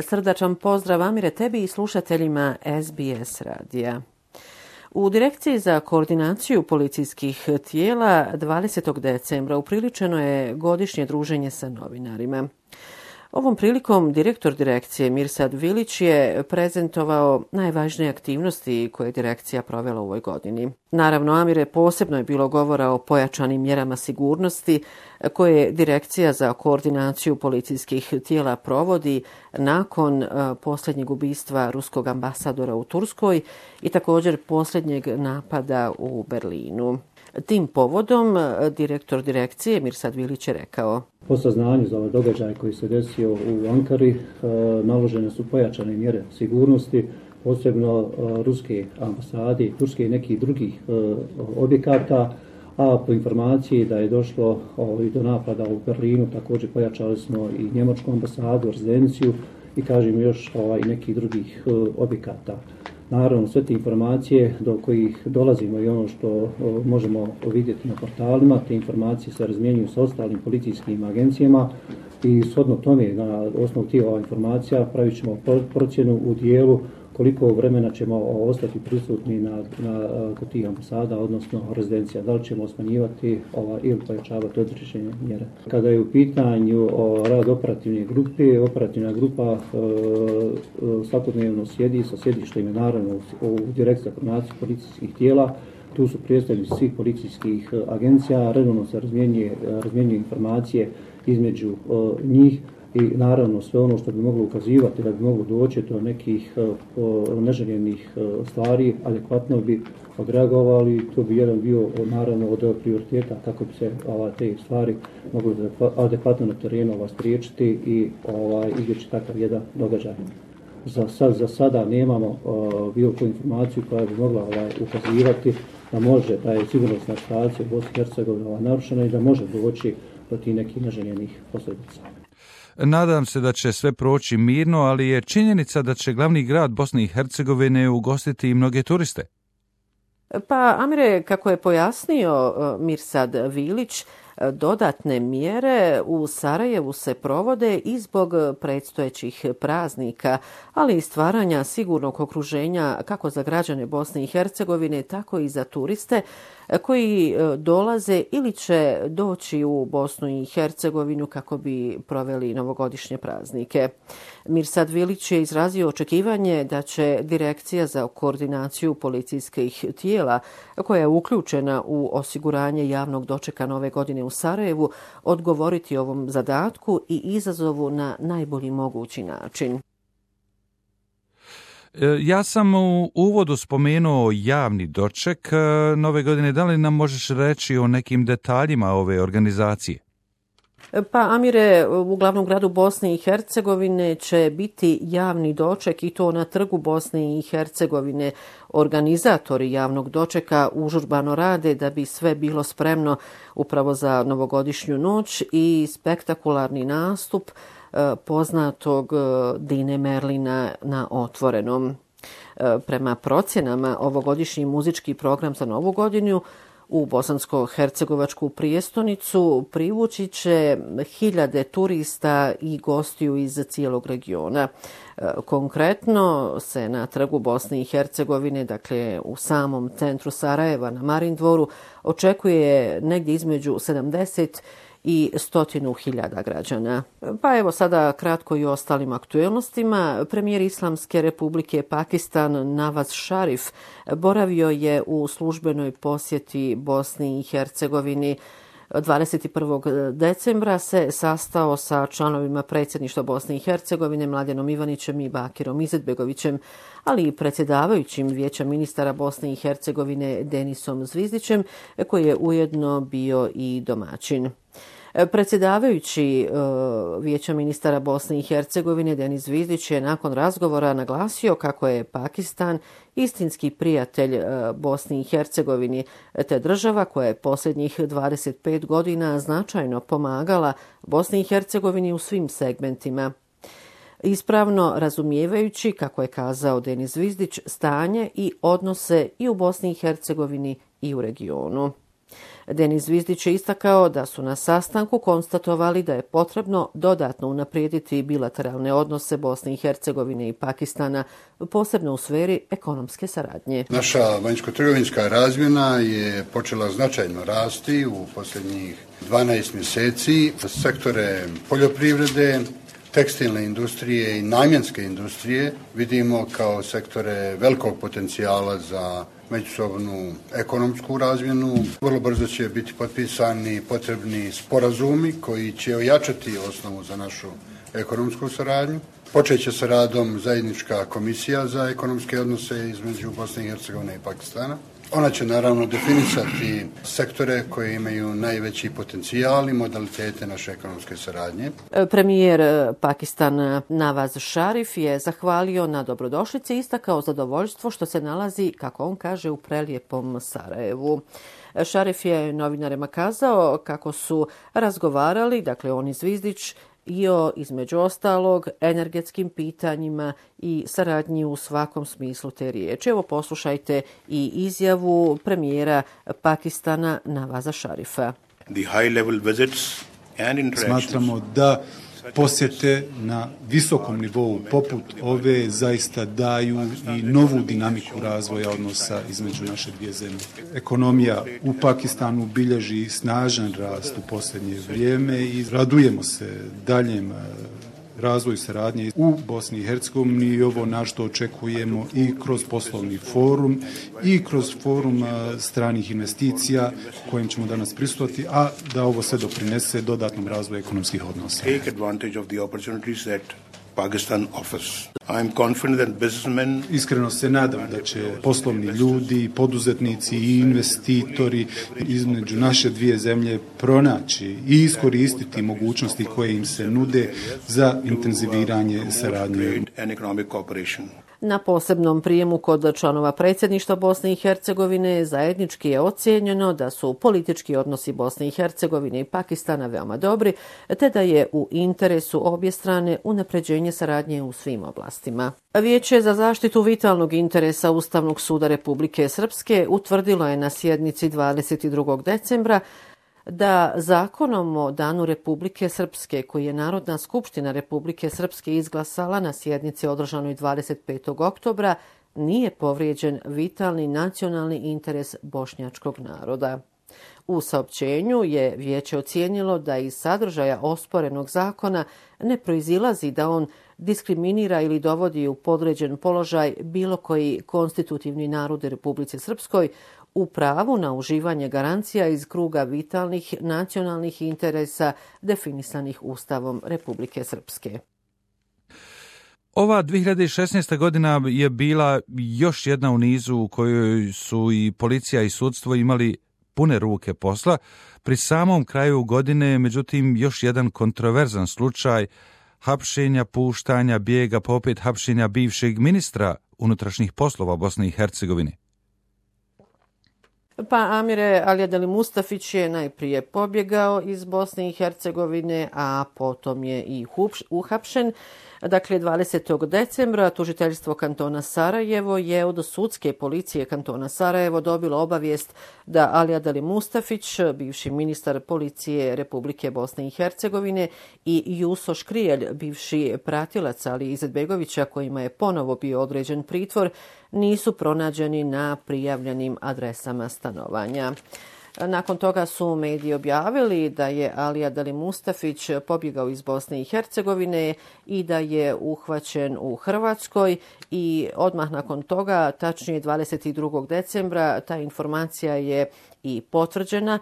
Srdačan pozdrav, Amire, tebi i slušateljima SBS radija. U Direkciji za koordinaciju policijskih tijela 20. decembra upriličeno je godišnje druženje sa novinarima. Ovom prilikom direktor direkcije Mirsad Vilić je prezentovao najvažnije aktivnosti koje je direkcija provela u ovoj godini. Naravno, Amire, posebno je bilo govora o pojačanim mjerama sigurnosti koje Direkcija za koordinaciju policijskih tijela provodi nakon posljednjeg ubistva ruskog ambasadora u Turskoj i također posljednjeg napada u Berlinu. Tim povodom direktor direkcije Mirsad Vilić je rekao: Po saznanju za ovaj događaj koji se desio u Ankari naložene su pojačane mjere sigurnosti, posebno ruske ambasade, turske i nekih drugih objekata, a po informaciji da je došlo i do napada u Berlinu, također pojačali smo i njemačku ambasadu, rezidenciju i kažem još i nekih drugih objekata. Naravno, sve te informacije do kojih dolazimo i ono što možemo vidjeti na portalima, te informacije se razmjenjuju sa ostalim policijskim agencijama i shodno tome, na osnovu tih informacija, pravit ćemo procjenu u dijelu koliko vremena ćemo ostati prisutni kod tih ambasada, odnosno rezidencija. Da li ćemo smanjivati ili pojačavati određene mjere. Kada je u pitanju rad operativne grupe, operativna grupa svakodnevno sjedi sa sjedištem naravno u Direkciji za koordinaciju policijskih tijela. Tu su predstavnici svih policijskih agencija, redovno se razmjenjuju informacije između njih i naravno sve ono što bi moglo ukazivati da bi moglo doći do nekih neželjenih stvari, adekvatno bi odreagovali. To bi jedan bio naravno od prioriteta kako bi se te stvari mogli adekvatno na terenu spriječiti i izbjeći takav jedan događaj. Za sada nemamo bilo koju informaciju koja bi mogla ukazivati da je sigurnosna situacija u Bosni i Hercegovini narušena i da može doći do tih nekih neželjenih posljedica. Nadam se da će sve proći mirno, ali je činjenica da će glavni grad Bosne i Hercegovine ugostiti i mnoge turiste. Pa, Amire, kako je pojasnio Mirsad Vilić, dodatne mjere u Sarajevu se provode i zbog predstojećih praznika, ali i stvaranja sigurnog okruženja kako za građane Bosne i Hercegovine, tako i za turiste koji dolaze ili će doći u Bosnu i Hercegovinu kako bi proveli novogodišnje praznike. Mirsad Vilić je izrazio očekivanje da će Direkcija za koordinaciju policijskih tijela, koja je uključena u osiguranje javnog dočeka nove godine u Sarajevu, odgovoriti ovom zadatku i izazovu na najbolji mogući način. Ja sam u uvodu spomenuo javni doček nove godine. Da li nam možeš reći o nekim detaljima ove organizacije? Pa, Amire, u glavnom gradu Bosne i Hercegovine će biti javni doček i to na trgu Bosne i Hercegovine. Organizatori javnog dočeka užurbano rade da bi sve bilo spremno upravo za novogodišnju noć i spektakularni nastup poznatog Dine Merlina na otvorenom. Prema procjenama, ovogodišnji muzički program za novu godinu u bosansko-hercegovačku prijestolnicu privući će hiljade turista i gostiju iz cijelog regiona. Konkretno se na trgu Bosne i Hercegovine, dakle u samom centru Sarajeva na Marindvoru, očekuje negdje između 70 i 100.000 građana. Pa evo sada kratko i o ostalim aktuelnostima. Premijer Islamske republike Pakistan Nawaz Sharif boravio je u službenoj posjeti Bosni i Hercegovini. 21. decembra se sastao sa članovima predsjedništva Bosne i Hercegovine Mladenom Ivanićem i Bakirom Izetbegovićem, ali i predsjedavajućim Vijeća ministara Bosne i Hercegovine Denisom Zvizdićem, koji je ujedno bio i domaćin. Predsjedavajući Vijeća ministara Bosne i Hercegovine Denis Zvizdić je nakon razgovora naglasio kako je Pakistan istinski prijatelj Bosni i Hercegovini, te država koja je posljednjih 25 godina značajno pomagala Bosni i Hercegovini u svim segmentima. Ispravno razumijevajući, kako je kazao Denis Zvizdić, stanje i odnose i u Bosni i Hercegovini i u regionu. Denis Zvizdić je istakao da su na sastanku konstatovali da je potrebno dodatno unaprijediti bilateralne odnose Bosne i Hercegovine i Pakistana, posebno u sferi ekonomske saradnje. Naša vanjsko-trgovinska razmjena je počela značajno rasti u posljednjih 12 mjeseci. Sektore poljoprivrede, tekstilne industrije i namjenske industrije vidimo kao sektore velikog potencijala za međusobnu ekonomsku razmjenu. Vrlo brzo će biti potpisani potrebni sporazumi koji će ojačati osnovu za našu ekonomsku saradnju. Počeće sa radom zajednička komisija za ekonomske odnose između Bosne i Hercegovine i Pakistana. Ona će naravno definisati sektore koje imaju najveći potencijal i modalitete naše ekonomske saradnje. Premijer Pakistana Nawaz Sharif je zahvalio na dobrodošlici i istakao zadovoljstvo što se nalazi, kako on kaže, u prelijepom Sarajevu. Sharif je novinarima kazao kako su razgovarali, dakle on i Zvizdić, i o, između ostalog, energetskim pitanjima i saradnji u svakom smislu te riječi. Evo poslušajte i izjavu premijera Pakistana Nawaza Sharifa. Smatramo da posjete na visokom nivou poput ove zaista daju i novu dinamiku razvoja odnosa između naše dvije zemlje. Ekonomija u Pakistanu bilježi snažan rast u posljednje vrijeme i radujemo se daljem razvoju saradnje u Bosni i Hercegovini i ovo na što očekujemo i kroz poslovni forum i kroz forum stranih investicija kojim ćemo danas prisustvovati, a da ovo sve doprinese dodatnom razvoju ekonomskih odnosa. Pakistan offers. I am confident that businessmen... Iskreno se nadam da će poslovni ljudi, poduzetnici i investitori između naše dvije zemlje pronaći i iskoristiti mogućnosti koje im se nude za intenziviranje saradnje. Na posebnom prijemu kod članova predsjedništva Bosne i Hercegovine zajednički je ocijenjeno da su politički odnosi Bosne i Hercegovine i Pakistana veoma dobri, te da je u interesu obje strane unapređenje saradnje u svim oblastima. Vijeće za zaštitu vitalnog interesa Ustavnog suda Republike Srpske utvrdilo je na sjednici 22. decembra da zakonom o Danu Republike Srpske, koji je Narodna skupština Republike Srpske izglasala na sjednici održanoj 25. oktobra, nije povrijeđen vitalni nacionalni interes bošnjačkog naroda. U saopćenju je vijeće ocijenilo da iz sadržaja osporenog zakona ne proizilazi da on diskriminira ili dovodi u podređen položaj bilo koji konstitutivni narod u Republici Srpskoj u pravu na uživanje garancija iz kruga vitalnih nacionalnih interesa definisanih Ustavom Republike Srpske. Ova 2016. godina je bila još jedna u nizu u kojoj su i policija i sudstvo imali pune ruke posla. Pri samom kraju godine, međutim, još jedan kontroverzan slučaj hapšenja, puštanja, bijega, pa opet hapšenja bivšeg ministra unutrašnjih poslova Bosne i Hercegovine. Pa Amire Alijadeli Mustafić je najprije pobjegao iz Bosne i Hercegovine, a potom je i uhapšen. Dakle, 20. decembra tužiteljstvo kantona Sarajevo je od sudske policije kantona Sarajevo dobilo obavijest da Alijadeli Mustafić, bivši ministar policije Republike Bosne i Hercegovine, i Juso Škrijelj, bivši pratilac Ali Izetbegovića, kojima je ponovo bio određen pritvor, nisu pronađeni na prijavljenim adresama stanovanja. Nakon toga su mediji objavili da je Alijadeli Mustafić pobjegao iz Bosne i Hercegovine i da je uhvaćen u Hrvatskoj i odmah nakon toga, tačnije 22. decembra, ta informacija je i potvrđena.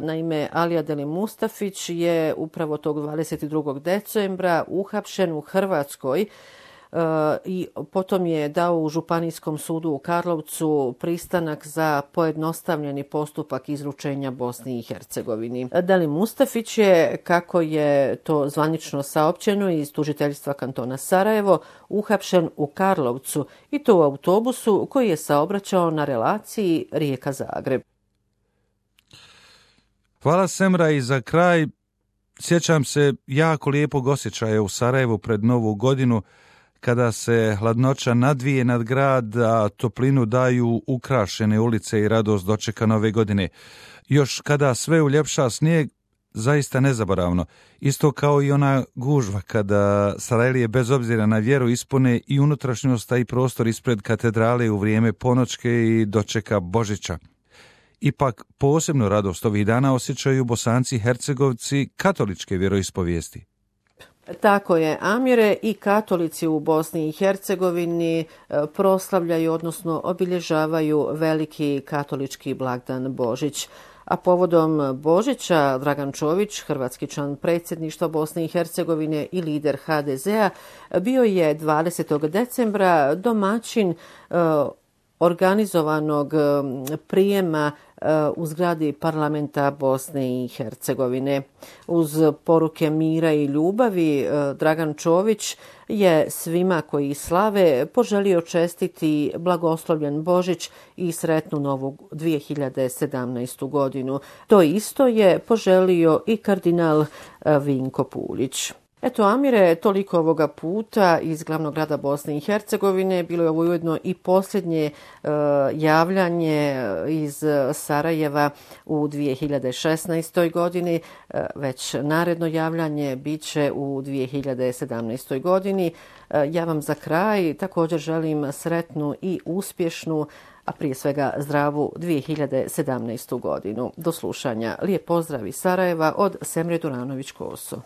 Naime, Alijadeli Mustafić je upravo tog 22. decembra uhapšen u Hrvatskoj i potom je dao u Županijskom sudu u Karlovcu pristanak za pojednostavljeni postupak izručenja Bosni i Hercegovini. Deli Mustafić je, kako je to zvanično saopćeno iz tužiteljstva kantona Sarajevo, uhapšen u Karlovcu i to u autobusu koji je saobraćao na relaciji Rijeka-Zagreb. Hvala Semra i za kraj. Sjećam se jako lijepog osjećaja u Sarajevu pred Novu godinu. kada se hladnoća nadvije nad grad, a toplinu daju ukrašene ulice i radost dočeka nove godine. Još kada sve uljepša snijeg, zaista nezaboravno. Isto kao i ona gužva kada Sarajlije bez obzira na vjeru ispune i unutrašnjost, a i prostor ispred katedrale u vrijeme ponoćke i dočeka Božića. Ipak posebnu radost ovih dana osjećaju Bosanci i Hercegovci katoličke vjeroispovijesti. Tako je, Amire, i katolici u Bosni i Hercegovini proslavljaju, odnosno obilježavaju veliki katolički blagdan Božić. A povodom Božića Dragan Čović, hrvatski član predsjedništva Bosne i Hercegovine i lider HDZ-a, bio je 20. decembra domaćin organizovanog prijema u zgradi parlamenta Bosne i Hercegovine. Uz poruke mira i ljubavi, Dragan Čović je svima koji slave poželio čestiti blagoslovljen Božić i sretnu novu 2017. godinu. To isto je poželio i kardinal Vinko Puljić. Eto, Amire, toliko ovoga puta iz glavnog grada Bosne i Hercegovine. Bilo je ovo ujedno i posljednje javljanje iz Sarajeva u 2016. godini. Već naredno javljanje bit će u 2017. godini. Ja vam za kraj također želim sretnu i uspješnu, a prije svega zdravu 2017. godinu. Do slušanja. Lijep pozdrav iz Sarajeva od Semre Duranović-Koso.